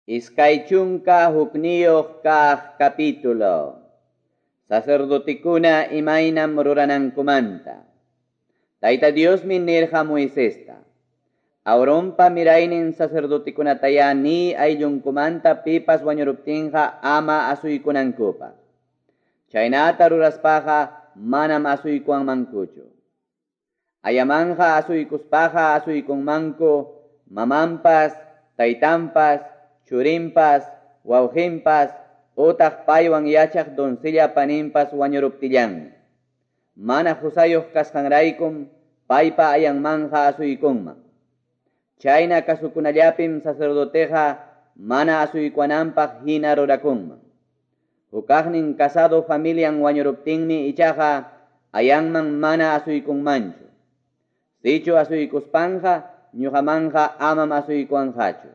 21 kaq capítulo. Sacerdotekuna imaynam ruranankumanta. Tayta Diosmi nirqa Moisesta. Aaronpa miraynin sacerdotekunataya ni ayllunkumanta pipas wañuruptinqa ama asuykunankupaq. Chaynata ruraspaqa manam asuykuwanmankuchu. Ayamanja asuykuspaqa asuykunmanku mamanpas, taytanpas, churinpas, wawqinpas, utaq paywan yachaq doncella paninpas wañuruptillanmi. Mana husayuq kasqanraykum paypa ayanmanja asuykunman. Chayna kasukunallapim sacerdoteqa mana asuykuananpaq hina rurakunman. Hukaqnin casado familian wañuruptinmi ichaqa ayanman mana asuykunmanchu. Sichu asuykuspanja ñuqamanja amam asuykuanqachu.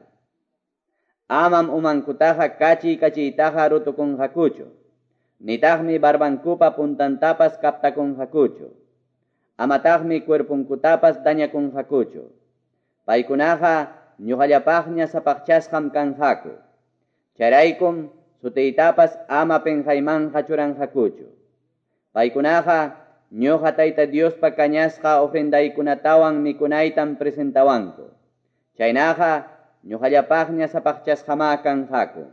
Amam umankutaqa kachi kachitaqa rutukunqakuchu. Nitaqmi barbankupa puntantapas kaptakunqakuchu. Amataqmi cuerpunkutapas dañakunqakuchu. Paykunaqa ñuqallapaqña sapaqchasqam kanqaku. Chayraykum sutiytapas ama pinqaymanja churanqakuchu. Paykunaqa ñuqa Tayta Diospa kañasqa ofrendaykunatawan mikunaytam presentawanku. Chaynaqa ñuqallapaqña sapaqchasqama kanqaku.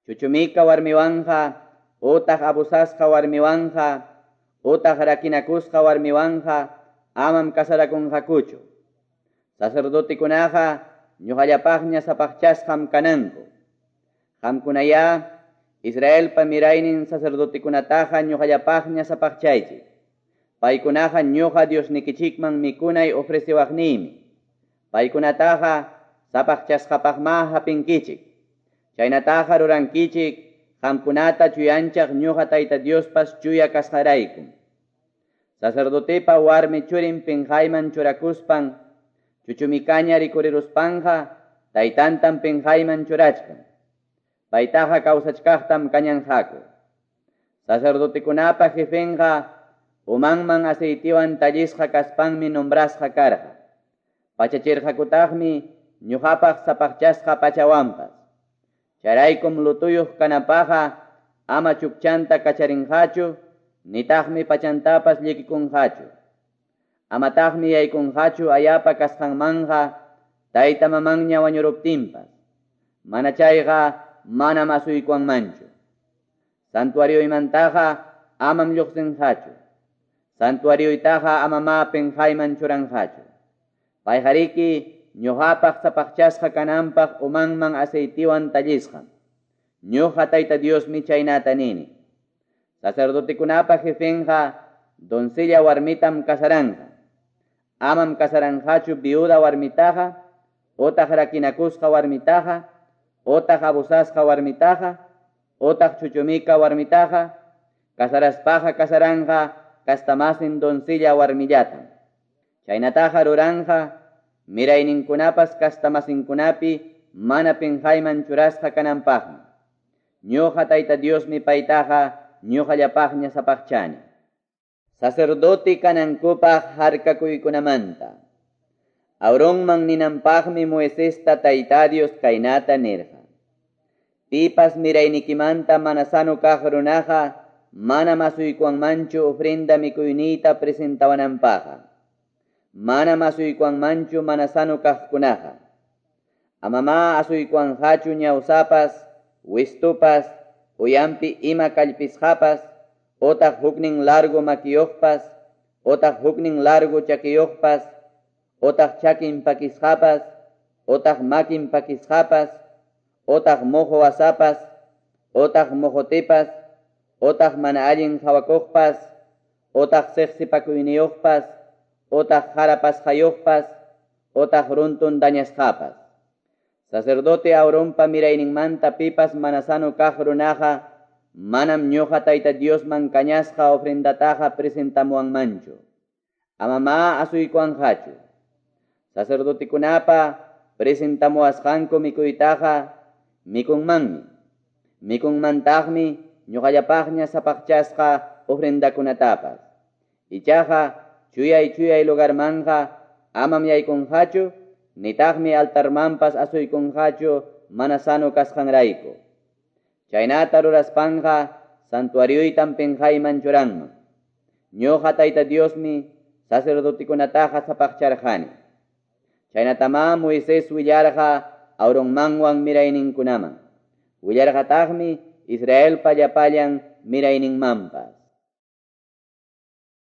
Chuchumika warmiwanja, utaq abusasqa warmiwanja, utaq rakinakusqa warmiwanja, amam kasarakunqakuchu. Sacerdotekunaqa ñuqallapaqña sapaqchasqam kananku. Qamkunaya Israelpa miraynin sacerdotekunataqa ñuqallapaqña sapaqchaychik. Paykunaqa ñuqa Diosnikichikman mikunay ofreciwaqniymi. Paykunataqa sapaqchasqapaqma hapinkichik. Chaynataqa rurankichik qamkunata chuyanchaq ñuqa Tayta Diospas chuya kasqaraykum. Sacerdotepa warmi churin pinqayman churakuspan chuchumikaña rikuriruspanqa taytantam pinqayman churachkan. Paytaqa kawsachkaqtam kañanqaku. Sacerdotekunapa jefenqa umanman aceitiwan tallisqa kaspanmi nombrasqa karqa. Pachachirqakutaqmi ñuqapaq sapaqchasqa pachawanpas. Chayraykum lutuyuq kanapaqa ama chukchanta kacharinqachu, nitaqmi pachantapas llikikunqachu. Amataqmi yaykunqachu ayapa kasqanmanja tayta mamanña wañuruptinpas. Mana chayqa manam asuykuwanmanchu. Santuarioymantaqa amam lluqsinqachu. Santuarioytaqa amama pinqayman churanqachu. Payqariki ñuqapaq sapaqchasqa kananpaq umanman aceitiwan tallisqam. Ñuqa Tayta Diosmi chaynata nini. Sacerdotekunapa jefenqa doncella warmitam kasaranja. Amam kasaranqachu viuda warmitaqa, otaq rakinakusqa warmitaqa, otaq abusasqa warmitaqa, otaq chuchumika warmitaqa, kasaraspaqa kasaranja kastamasin doncella warmillatam. Chaynataqa ruranja mirayninkunapas kastamasinkunapi mana pinqayman churasqa kananpaqmi. Ñuqa Tayta Diosmi paytaqa ñuqallapaqña sapaqchani. Sacerdote kanankupaq harkakuykunamanta. Aaronman ninanpaqmi Moisesta Tayta Dios kaynata nirqa. Pipas miraynikimanta mana sano kaq runaqa manam asuykuwanmanchu ofrenda mikuyniyta presentawananpaqqa. Manam asuykuwanmanchu mana sano kaqkunaqa. Amama asuykuwanqachu ñawsapas, wistupas, uyampi ima kallpisqapas, otaq huknin largo makiyuqpas, otaq huknin largo chakiyuqpas, otaq chakin pakisqapas, otaq makin pakisqapas, otaq mojo wasapas, otaq mojotepas, otaq mana allin hawakuqpas, otaq siqsipakuyniyuqpas, otaq jarapasqayuqpas, otaq runtun dañasqapas. Sacerdote Aaronpa mirayninmanta pipas mana sano kaq runaqa manam ñuqa Tayta Diosman kañasqa ofrendataqa presentamuwanmanchu. Amama asuykuwanqachu. Sacerdotekunapa presentamuwasqanku mikuytaqa mikunmanmi. Mikunmantaqmi ñuqallapaqña sapaqchasqa ofrendakunatapas. Ichaqa chuyay chuyay lugarmanja amam yaykunqachu, nitaqmi altarmanpas asuykunqachu mana sano kasqanrayku. Chaynata ruraspanqa santuarioytam penqayman churanman. Ñuqa Tayta Diosmi sacerdotekunataqa sapaqcharqani. Chaynatamá Moisés willarqa Aaronmanwan mirayninkunaman. Willarqataqmi Israelpa llapallan mirayninmanpas.